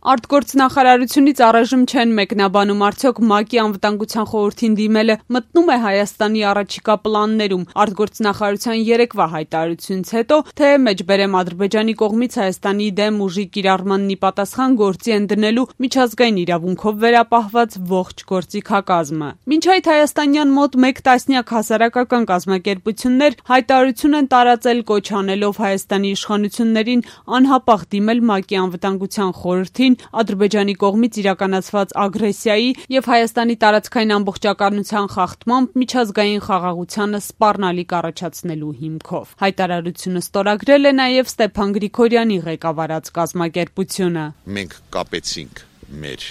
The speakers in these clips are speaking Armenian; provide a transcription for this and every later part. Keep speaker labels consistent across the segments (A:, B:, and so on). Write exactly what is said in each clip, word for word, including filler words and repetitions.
A: Արտգործնախարարությունից առայժմ չեն մեկնաբանում արդյոք ՄԱԿ-ի անվտանգության խորհրդին դիմելը մտնում է Հայաստանի առաջիկա պլաններում։ Արտգործնախարարության երեկվա հայտարարությունից հետո, թե մեջբերեմ Ադրբեջանի կողմից Հայաստանի դեմ ուժի կիրառմանն ի պատասխան գործի են դնելու միջազգային իրավունքով վերապահված ողջ գործիքակազմը։ Մինչ այդ հայաստանյան մոտ մեկ տասնյակ հասարակական կազմակերպություններ հայտարարություն են տարածել կոչ անելով Հայաստանի իշխանություններին անհապաղ դիմել ՄԱԿ-ի անվտանգության խորհրդին Ադրբեջանի կողմից իրականացված ագրեսիայի և Հայաստանի տարածքային ամբողջականության խախտմամբ միջազգային խաղաղությանը սպառնալիք առաջացնելու հիմքով։ Հայտարարությունը ստորագրել է նաև Ստեփան Գրիգորյանի ղեկավարած կազմակերպությունը։
B: Մենք կապեցինք մեր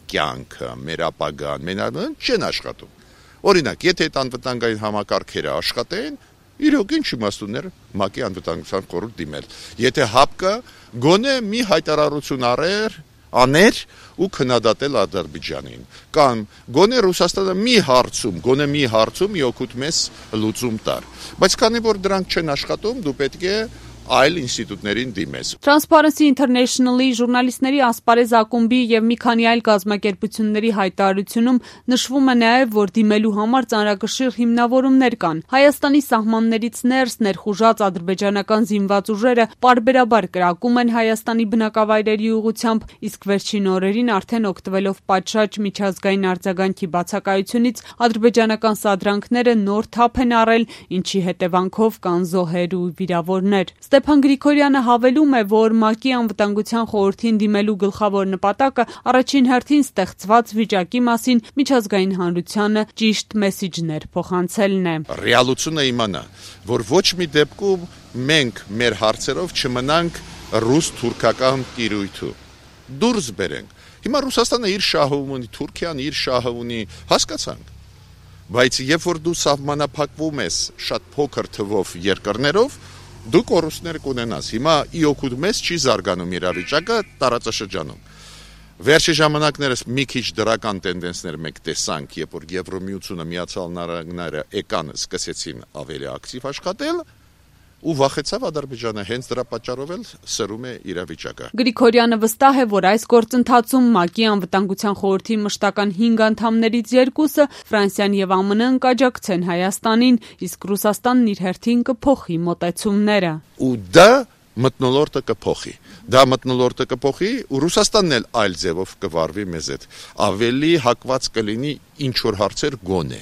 B: կյանքը, մեր ապագան, մենական չեն աշխատում։ Օրինակ, եթե այդ անվտանգային համակարգերը աշխատեն, իրոք ինչ իմաստուններ ՄԱԿ-ի անվտանգության խորհուրդ դիմել։ Եթե ՀԱՊԿ-ը գոնե մի հայտարարություն արեր, աներ ու քննադատել Ադրբեջանին, կամ գոնե Ռուսաստանը մի հարցում, գոնե մի հարցում մի օգուտ մեզ լուծում տար։ Բայց քանի որ դրանք չեն աշխատում, դու պետք է այլ ինստիտուտներին դիմես։
A: Transparency International-ի ժուրնալիստների ասպարեզ ակումբի և մի քանի այլ կազմակերպությունների հայտարարությունում նշվում է նաև, որ դիմելու համար ծանրակշիռ հիմնավորումներ կան։ Հայաստանի սահմաններից ներս ներխուժած ադրբեջանական զինված ուժերը պարբերաբար կրակում են Հայաստանի բնակավայրերի ուղղությամբ, իսկ վերջին օրերին արդեն օգտվելով պատշաճ միջազգային արձագանքի բացակայությունից ադրբեջանական սադրանքները նոր թափ են առել, ինչի հետևանքով կան զոհեր ու վիրավորներ։ Ստեփան Գրիգորյանը հավելում է, որ ՄԱԿ-ի անվտանգության խորհրդին դիմելու գլխավոր նպատակը առաջին հերթին ստեղծված վիճակի մասին միջազգային հանրությանը ճիշտ մեսիջներ փոխանցելն է։
B: Ռեալությունը իմանա, որ ոչ մի դեպքում մենք մեր հարցերով չմնանք ռուս-թուրքական տիրույթու։ Դուրս բերենք։ Հիմա Ռուսաստանը իր շահը ունի, Թուրքիան իր շահը ունի, հասկացանք։ Բայց երբ որ դու սահմանափակվում ես շատ փոքր թվով երկրներով, դու կորուստներ կունենաս։ Հիմա ի օգուտ մեզ չի զարգանում իրավիճակը տարածաշրջանում։ Վերջի ժամանակներս մի քիչ դրական տենդենսներ մենք տեսանք, երբ որ Եվրոմիությունը, Միացյալ Նահանգները եկան, սկսեցին ավելի ակտիվ աշխատել, ու վախեցավ Ադրբեջանը, հենց դրա պատճառով էլ սրում է իրավիճակը։
A: Գրիգորյանը վստահ է, որ այս գործընթացում ՄԱԿ-ի անվտանգության խորհրդի մշտական հինգ անդամներից երկուսը, Ֆրանսիան եւ ԱՄՆ-ն կաջակցեն Հայաստանին, իսկ Ռուսաստանն իր հերթին կփոխի մոտեցումները։
B: Ու դա մթնոլորտը կփոխի։ Դա մթնոլորտը կփոխի, ու Ռուսաստանն էլ այլ ձևով կվարվի մեզ հետ։ Ավելի հակված կլինի ինչ որ հարցեր գոնե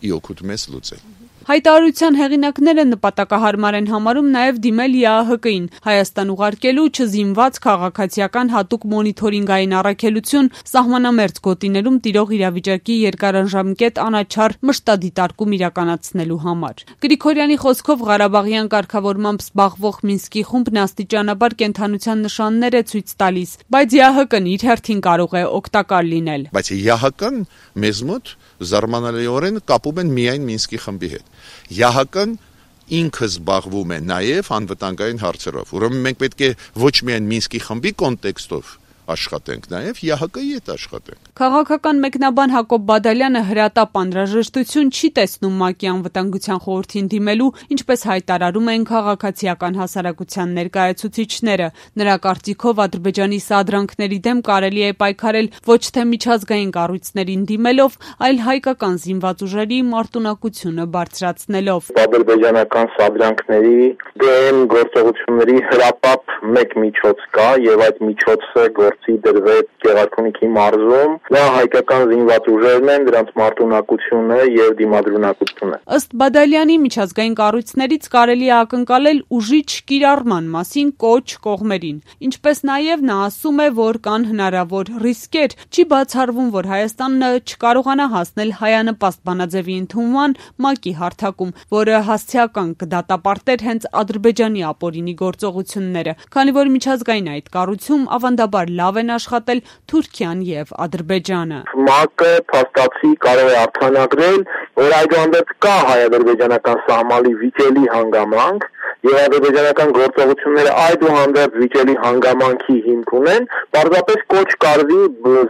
B: ի օգուտ մեզ լուծել։
A: Հայտարարության հեղինակները նպատակահարմար են համարում նաև դիմել ԵԱՀԿ-ին, Հայաստան ուղարկելու չզինված քաղաքացիական հատուկ մոնիթորինգային առաքելություն սահմանամերձ գոտիներում տիրող իրավիճակի երկարաժամկետ անաչառ մշտադիտարկում իրականացնելու համար։ Գրիգորյանի խոսքով Ղարաբաղյան կարգավորմամբ զբաղվող Մինսկի խումբն աստիճանաբար կենդանության նշաններ է ցույց տալիս, բայց ԵԱՀԿ-ն իր հերթին կարող է օգտակար լինել։
B: Բայց ԵԱՀԿ-ն մեզ մոտ զարմանալիորեն կապում են միայն Մինսկի խմբի հետ։ ԵԱՀԿ-ն ինքը զբաղվում է նաև անվտանգային հարցերով։ Ուրեմն մենք պետք է ոչ միայն Մինսկի խմբի կոնտեքստով աշխատենք, նաև ԵԱՀԿ-ի հետ աշխատենք։
A: Քաղաքական մեկնաբան Հակոբ Բադալյանը հրատապ անհրաժեշտություն չի տեսնում ՄԱԿ-ի անվտանգության խորհրդին դիմելու, ինչպես հայտարարում են քաղաքացիական հասարակության ներկայացուցիչները։ Նրա կարծիքով Ադրբեջանի սադրանքների դեմ կարելի է պայքարել ոչ թե միջազգային կառույցներին դիմելով, այլ հայկական զինված ուժերի մարտունակությունը բարձրացնելով։
C: Ադրբեջանական սադրանքների դեմ գործողությունների հրապապ մեկ միջոց կա, եւ այդ միջոցը գործի դրվեց Գեղարքունիքի մարզում։ Դա հայկական զինված ուժերն են, դրանց մարտունակությունը եւ դիմադրունակությունը։
A: Ըստ Բադալյանի, միջազգային կառույցներից կարելի է ակնկալել ուժի չկիրառման մասին կոչ կողմերին։ Ինչպես նաև նա ասում է, որ կան հնարավոր ռիսկեր, չի բացառվում, որ Հայաստանը չկարողանա հասնել հայանպաստ բանաձևի ընդունման ՄԱԿ-ի հարթակում, որը հասցեական կդատապարտեր հենց Ադրբեջանի ապօրինի գործողությունները, քանի որ միջազգային այդ կառույցում ավանդաբար լավ են աշխատել Թուրքիան եւ Ադրբեջանը։
C: ՄԱԿ-ը փաստացի կարող է արձանագրել, որ այդուհանդերձ կա հայ-ադրբեջանական սահմանի վիճելի հանգամանք, եւ ադրբեջանական գործողությունները այդուհանդերձ վիճելի հանգամանքի հիմք ունեն, պարզապես կոչ կարվի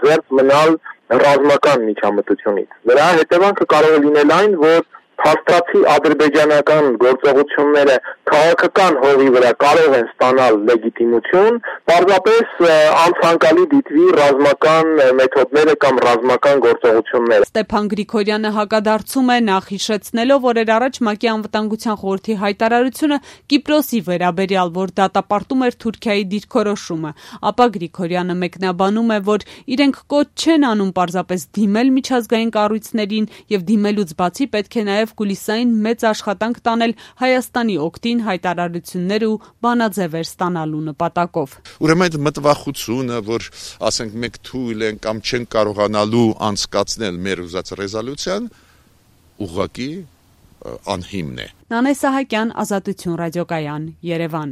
C: զերծ մնալ ռազմական միջամտությունից։ Դրա հետևանքը կարող է լինել այն, որ փաստացի ադրբեջանական գործողությունները քաղաքական հողի վրա կարող են ստանալ լեգիտիմություն, պարզապես անցանկալի դիտվի ռազմական մեթոդները կամ ռազմական գործողությունները։
A: Ստեփան Գրիգորյանը հակադարձում է, նախ հիշեցնելով օրեր առաջ ՄԱԿ-ի անվտանգության խորհրդի հայտարարությունը Կիպրոսի վերաբերյալ, որ դատապարտում էր Թուրքիայի դիրքորոշումը, ապա Գրիգորյանը մեկնաբանում է, որ իրենք կոչ չեն անում պարզապես դիմել միջազգային կառույցներին եւ դիմելուց բացի պետք է նաեւ կուլիսային մեծ աշխատանք տանել Հայաստանի օգտին հայտարարություններ ու բանաձևեր ստանալու նպատակով։
B: Ուրեմն այդ մտվախությունը, որ ասենք մենք թույլ են կամ չեն կարողանալու անցկացնել մեր ուզած ռեզոլյուցիան, ուղղակի անհիմն է։
A: Նանե Սահակյան, Ազատություն ռադիոկայան, Երևան։